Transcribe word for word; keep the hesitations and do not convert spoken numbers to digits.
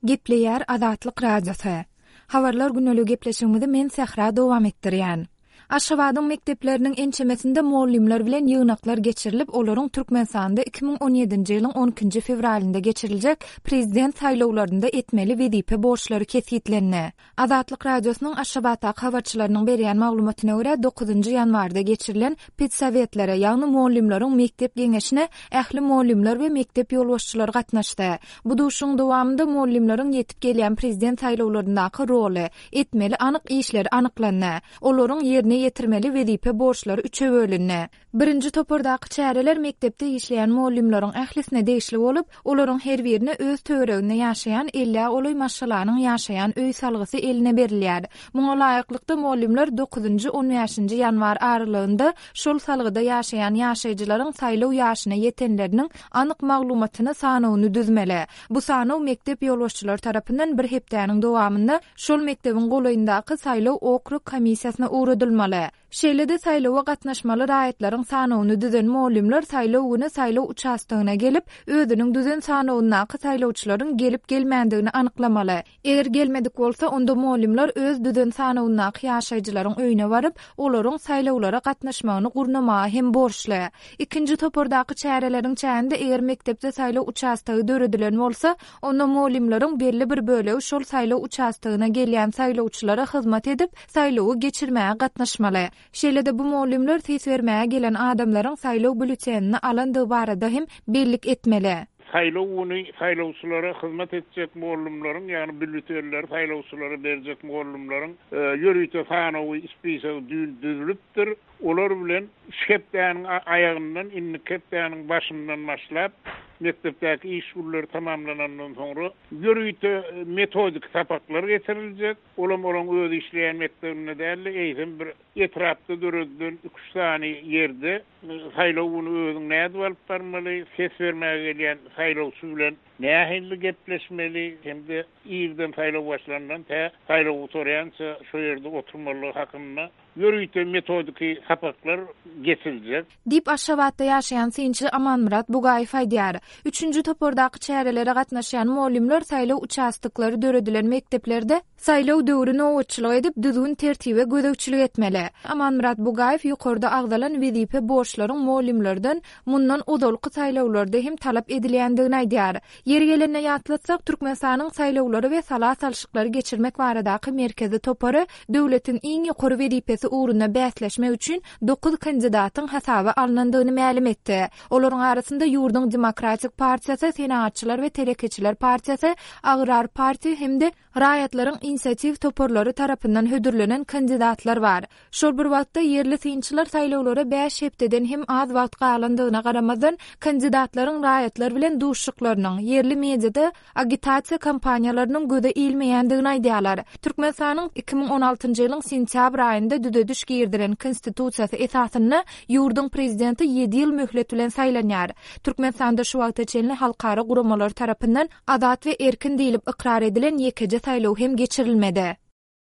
Gepleýär Azatlyk Radiosy. Habarlar güneligi gepleşigimizi men Sähra dowam etdirýän. Aşgabadyň mekdepleriniň ençemesinde mugallymlar bilen ýygnaklar geçirilip, olaryň Türkmenistanda iki müň on ýedinji ýylyň on ikinji fewralynda geçiriljek prezident saýlawlarynda etmeli wezipe borçlary kesgitlendi. Azatlyk Radiosynyň Aşgabatdaky habarçylarynyň berýän maglumatyna görä, dokuzynjy ýanwarda geçirilen pedsowetlere, ýagny mugallymlaryň mekdep geňeşine ähli mugallymlar we mekdep ýolbaşçylary gatnaşdy. Bu duşuşygyň dowamynda mugallymlaryň ýetip gelýän prezident saýlawlaryndaky roly, etmeli anyk işleri anyklandy. Olaryň ýerine ýetirmeli wezipe borçlary üçe bölündi. Birinji topardaky çäreler mekdepde işleýän mugallymlaryň ählisine degişli bolup, olaryň her birine öz töwereginde ýaşaýan ellä golaý maşgalanyň ýaşaýan öý salgysy eline berilýär. Muňa laýyklykda mugallymlar dokuzynjy, on bäşinji ýanwar aralygynda şol salgyda ýaşaýan ýaşaýjylaryň saýlaw ýaşyna ýetenleriniň anyk maglumatyny sanawyny düzmeli. Bu sanaw mekdep ýolbaşçylary tarapyndan bir hepdäniň dowamynda şol mekdebiň golaýyndaky saýlaw okrug komissiýasyna ugradylmaly. Şeýle-de saýlawa gatnaşmaly raýatlaryň sanawyny düzen mugallymlar saýlaw güni saýlaw uçastogyna gelip, özüniň düzen sanawyndaky saýlawçylaryň gelip gelmändigini anyklamaly. Eger gelmedik bolsa, onda mugallymlar öz düzen sanawyndaky ýaşaýjylaryň öýüne baryp, olaryň saýlawlara gatnaşmagyny gurnamaga hem borçly. Ikinji topardaky çäreleriň çäginde eger mekdepde saýlaw uçastogy döredilen bolsa, onda mugallymlaryň belli bir bölegi şol saýlaw uçastogyna gelýän saýlawçylara hyzmat edip, saýlawy geçirmäge gatnaşmaly. Şeýle-de bu mugallymlar ses bermäge gelen adamlaryň saýlaw bülletenini alandygy barada hem bellik etmeli. Saýlaw güni saýlawçylara hyzmat etjek mugallymlaryň, ýagny bülletenleri saýlawçylara berjek mugallymlaryň, e, ýörite sanawy spisagy düýn düzülipdir. Olar bilen şu hepdäniň a-, aýagyndan, indiki hepdäniň başyndan başlap, mekdepdäki iş günleri tamamlanandan soňra ýörite metodik sapaklar geçiriljek. Olam olaň öz işleýän mekdebinde däl-de, eýsem bir etrapda döredilen iki üç sany ýerde saýlaw güni özüň nädip alyp barmaly, ses bermäge gelýän saýlawçy bilen nähili gepleşmeli, hem-de irden saýlaw başlandan tä saýlaw gutarýança şo ýerde oturmalygy hakynda ýörite metodiki sapaklar geçiriljek. Diýip Aşgabatda ýaşaýan synçy Amanmyrat Bugaýew aýdýar. Üçünji topardaky çärelere gatnaşýan mugallymlar saýlaw uçastoklary döredilen mekdeplerde saýlaw döwri nobatçylyk edip, düzgün tertibe gözegçilik etmeli. Amanmyrat Bugaýew ýokarda agzalan wezipe borçlaryň mugallymlardan mundan ozalky saýlawlarda hem talap edilýändigini aýdýar. Ýeri gelende ýatlatsak, Türkmenistanyň saýlawlary we sala salşyklary geçirmek baradaky merkezi topary döwletiň iň ýokary wezipesi ugrunda bäsleşmek üçin dokuz kandidatyň hasaba alnandygyny mälim etdi. Olaryň arasynda ýurduň Demokratik partiýasy, Senagatçylar we Telekeçiler partiýasy, Agrar partiýa hem-de raýatlaryň inisiatiw toparlary tarapyndan hödürlenen kandidatlar bar. Şol bir wagtda ýerli synçylar saýlawlara bäş hepdeden hem az wagt galandygyna garamazdan kandidatlaryň raýatlar bilen duşuşyklarynyň, ýerli mediada agitasiýa kampaniýalarynyň göze ilmeýändigini aýdýarlar. Türkmenistanyň iki müň on altynjy ýylyň sentýabr aýynda düzediş girdilen konstitusiýasy esasynda ýurduň prezidenti ýedi ýyl möhlet bilen saýlanýar. Türkmenistanda şu wagta çenli halkara guramalar tarapyndan azat we erkin diýlip ykrar edilen ýekeje saýlaw hem geçirilmedi.